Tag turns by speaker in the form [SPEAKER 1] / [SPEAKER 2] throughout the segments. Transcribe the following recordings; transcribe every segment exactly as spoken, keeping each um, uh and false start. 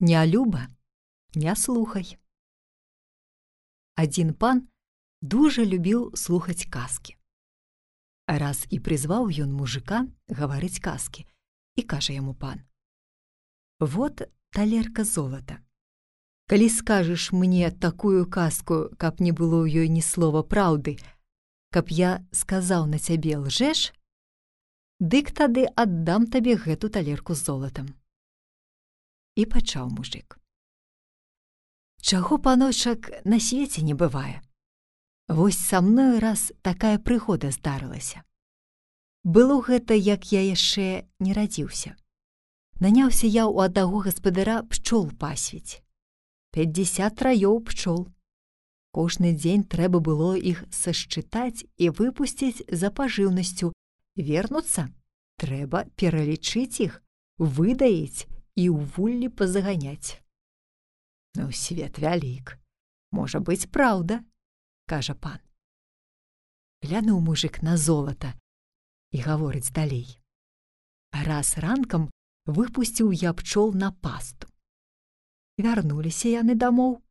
[SPEAKER 1] Нялюба, не слухай. Адзін пан дужа любіў слухаць казкі. Раз і прызваў ён мужика гаварыць казкі, і кажа яму пан: «Вот талерка золата. Калі скажаш мне такую казку, каб не было ў ёй ні слова праўды, каб я сказаў на цябе лжэш, дык тады аддам табе гэту талерку з золатам». І пачаў мужик: «Чаго, паночак, на свеце не бывае? Вось са мною раз такая прыгода здарылася. Было гэта, як я яшчэ не радзіўся. Наняўся я ў аднаго гаспадара пчол пасвіць. пятьдесят раёў пчол. Кожны дзень трэба было іх сашчытаць і выпусціць за пажыўнасцю. Вернуцца, трэба пералічыць іх, выдаіць і ў вуллі пазаганяць. Ну, свет вялік. Можа быць, праўда, кажа пан. Глянуў мужик на золата і гаворыць далей: «Раз ранкам выпусціў я пчол на пасту. Вярнуліся яны дамоў.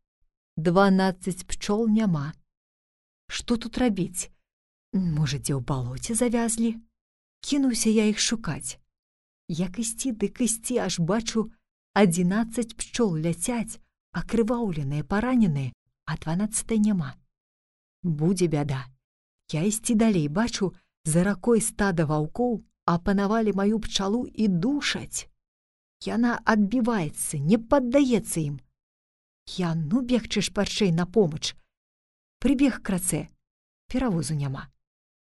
[SPEAKER 1] дванаццаць пчол няма. Што тут рабіць? Можа, дзе ў балоце завязлі? Кінуўся я іх шукаць. Як ісці, дык ісці, аж бачу, адзінаццаць пчол ляцяць, акрываўленыя, параненыя, а дванаццатай няма. Будзе бяда. Я ісці далей, бачу, за ракой стада ваўкоў апанавалі маю пчалу і душаць. Яна адбіваецца, не паддаецца ім. Я ну бегчы шпарчэй на помач. Прыбег крацэ, перавозу няма.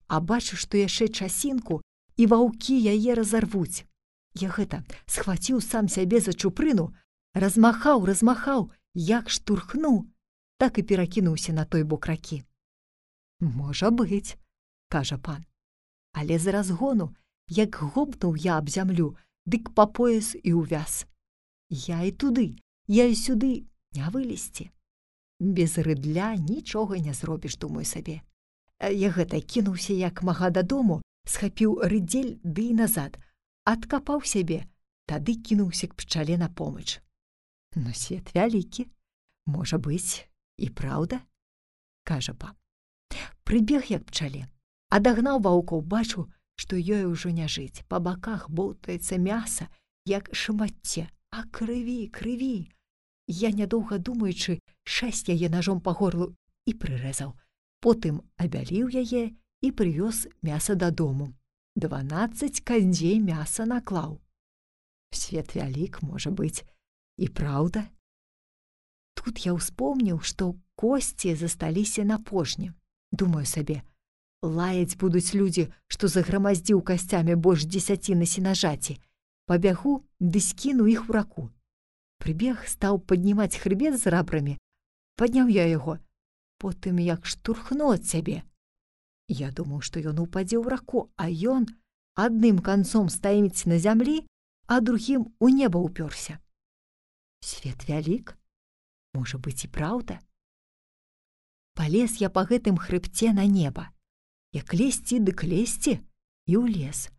[SPEAKER 1] А бачу, што яшчэ часінку, і ваўкі яе разарвуць. Я гэта схваціў сам сябе за чупрыну, размахаў, размахаў, як штурхнуў, так і перакінуўся на той бок ракі. Можа быць, кажа пан. Але з разгону, як гопнуў я аб зямлю, дык па пояс і ўвяз. Я і туды, я і сюды, не вылезці. Без рыдля нічога не зробіш, думаю сабе. Я гэта кінуўся як мага дадому, схапіў рыдзель ды і назад, адкапаў сябе, тады кінуўся к пчале на помач. Но свет вялікі, можа быць, і праўда, кажа пан. Прыбег як пчале, адагнаў ваўкоў, бачу, што ёй ужо не жыць. Па баках болтаецца мяса, як шматце, а крыві, крыві. Я, нядоўга думаючы, шэсць яе ножом па горлу і прырэзаў. Потым абяліў яе і прывёз мяса дадому. дванаццаць кандзей мяса наклаў. Свет вялік, можа быць, і праўда. Тут я ўспомніў, што косці засталіся на пожні. Думаю сабе, лаяць будуць людзі, што заграмаздзіў касцямі больш дзесяціны сенажаці. Пабягу, ды скіну іх у раку. Прыбег, стаў паднімаць хрыбет з рабрамі. Падняў я яго, потым як штурхну ад сябе. Я думаў, што ён упадзе ў раку, а ён адным канцом стаіць на зямлі, а другім у неба ўпёрся. Свет вялік, можа быць, і праўда. Палез я па гэтым хрыбце на неба. Як лезці, дык лезці, і ў лес.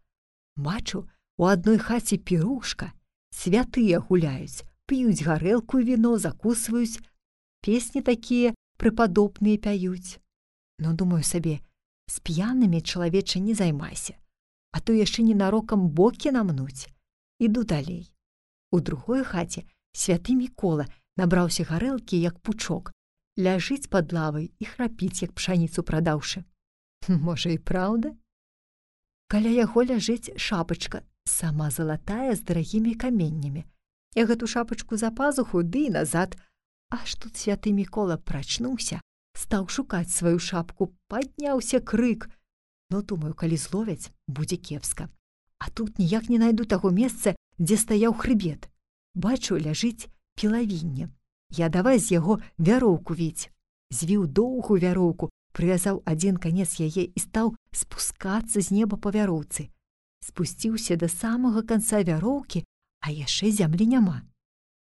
[SPEAKER 1] Бачу, у адной хаце пірушка, святыя гуляюць, п'юць гарэлку і віно, закусваюць, песні такія прыпадобныя пяюць. Но думаю сабе, з п'янымі, чалавеча, не займайся, а то яшчэ ненарокам бокі намнуць. Іду далей. У другой хаце святы Мікола набраўся гарэлкі, як пучок, ляжыць пад лавай і храпіць, як пшаніцу прадаўшы. Можа, і праўда? Каля яго ляжыць шапачка, сама залатая, з дарагімі каменнямі. Я гэту шапачку за пазуху, ды і назад. Аж тут святы Мікола прачнуўся, стаў шукаць сваю шапку, падняўся крык. Ну, думаю, калі зловяць, будзе кепска. А тут ніяк не найду таго месца, дзе стаяў хрыбет. Бачу, ляжыць пілавінне. Я давай з яго вяроўку віць. Звіў доўгую вяроўку, прывязаў адзін канец яе і стаў спускацца з неба па вяроўцы. Спусціўся да самага канца вяроўкі, а яшчэ зямлі няма.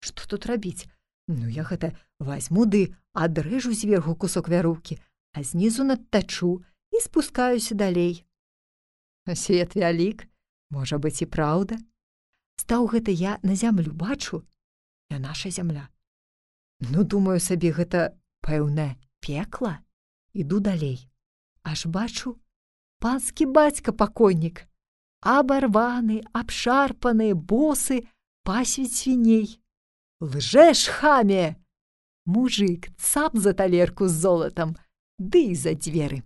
[SPEAKER 1] Што тут рабіць? Ну, я гэта вазьму ды адрэжу зверху кусок вяроўкі, а знізу надтачу і спускаюся далей. Свет вялік, можа быць, і праўда. Стаў гэта я на зямлю, бачу, не наша зямля. Ну, думаю сабе, гэта, пэўна, пекла. Іду далей. Аж бачу, панскі бацька пакойнік, абарваны, абшарпаны, босы, пасвіць свіней. Лжэш, хаме! Мужык цап за талерку з золатам, ды і за дзверы.